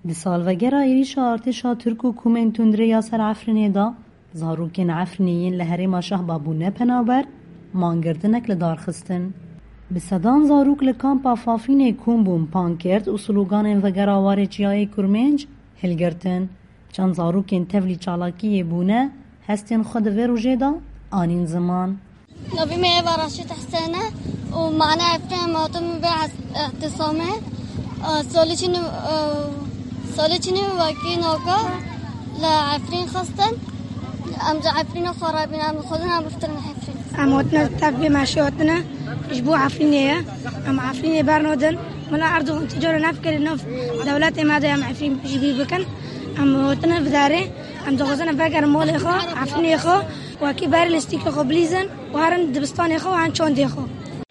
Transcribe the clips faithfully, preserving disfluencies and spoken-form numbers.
Di salvegera êrîşa artêşa Tirk û komên tundrê ya ser Efrînê de, zarokên Efrînê yên li herêma Şehba bûne penaber, mangirtinek li dar xistin. Bi sedan zarok li kampa Fafînê kom bûn, pankert û sloganên vegera warê çiyayê Kurmênc hilgirtin. Çend zarokên tevlî çalakiyê bûne, hestên xwe di vê rojê de anîn ziman. Navê me Eva Raşîd Hesen e û mane Efrîn em hatin vê es-, ehtisamê. E, salê çinî, e, salê çinî wekî naka li Efrîn xistin. Em ji Efrînê xwe rabîn, em dixwazin em biftirin Efrîn. Em hatine tev vê meşê hatine ji bo Efrînê ye. Em Efrînê bernadin. Mela Erdogan tu cara nefikirî nav dewletê me de em Efrîn piştgirî bikin. Em hatine vidarê. Em dixwazin em vegerin malê xwe, Efrînê xwe, wekî berê lîstikê xwe bilîzin û herin dibistanê xwe û herin çandê xwe.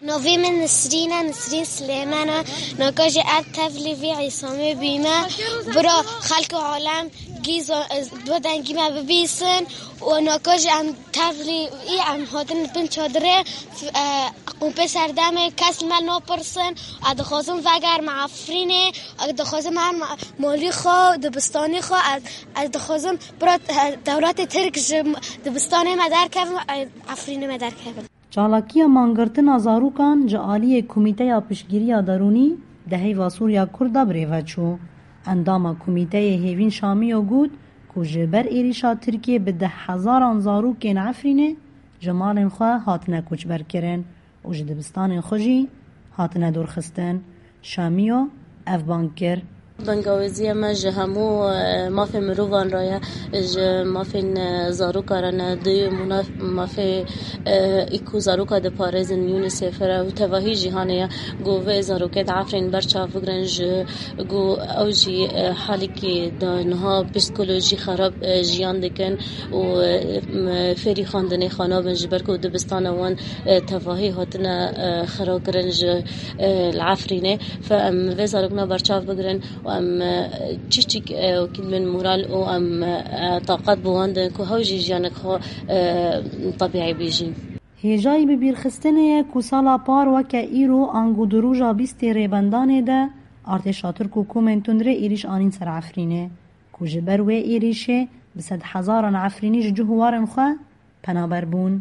Navê min Nisrîn e, Nisrîn Silêman e. Naka jî ev tevlî vî îsamê bîme. Bira xelk û alem gî zo-, bi dengî me bibîsin û naka jî em tevlî î em hatin bin çadirê, f-, e, qûmpê serdemê kes li me napirsin. Ez dixwazim vegerim Efrînê, ez dixwazim herim malî xwe, dibistanê xwe. Ez, ez dixwazim bira, e, dewletê Tirk ji dibistanê me derkevin, e, Efrînê me derkevin. Çalakiya mangirtina zarokan ji aliyê Komîteya Piştgiriya Derûnî di heyva Sûriya Kurd de birêve çû. Endama Komîteyê Hêvîn Şamiyo got ku ji ber êrîşa Tirkiyê bi deh hezaran zarokên Efrînê ji malên xwe hatine koçberkirin û ji dibistanên xwe jî hatine dorxistin. Şamiyo ev bang kir. Bengawêziya me ji hemû, e, mafên mirovan re ye, ji mafên, e, zarokan re ne, di mûna-, mafê, e, î ku zaroka diparêzin UNICEF re û tevahî cîhanê ye. Ku vê zarokê di Efrîn berçav bigrin, ji ku ew jî, e, halekî de niha psîkolojî xerab, e, jiyan dikin û, e, m-, fêrî xwendinê xwe nabin, ji ber ku dibistana wan, e, tevahî hatine, e, xira kirin ji, e, li Efrînê. Fe em vê zarokna berçav bigrin û em, e, çiçik, e, wekî min moral û em, e, taqet bi wan din ku hew jî jiyanek xwe, e, tebîî bijîn. Hêjayî bibîrxistinê ye ku sala par weke îro ango di roja bîstê Rêbendanê de artêşa Tirk û komên tundrê êrîş anîn ser Efrînê, ku ji ber wê êrîşê bi sedhezaran Efrînî ji cih û warên xwe penaber bûn.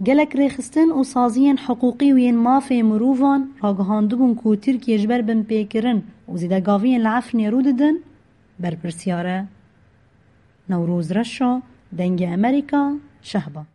Gelek rêxistin û saziyên hiqûqî û yên mafê mirovan ragihandibûn ku Tirkiye ji ber binpêkirin û zêdegaviyên li Efrînê rû didin, berpirsiyar e. Newroz Reşo, Dengê Amerîka, Şehba.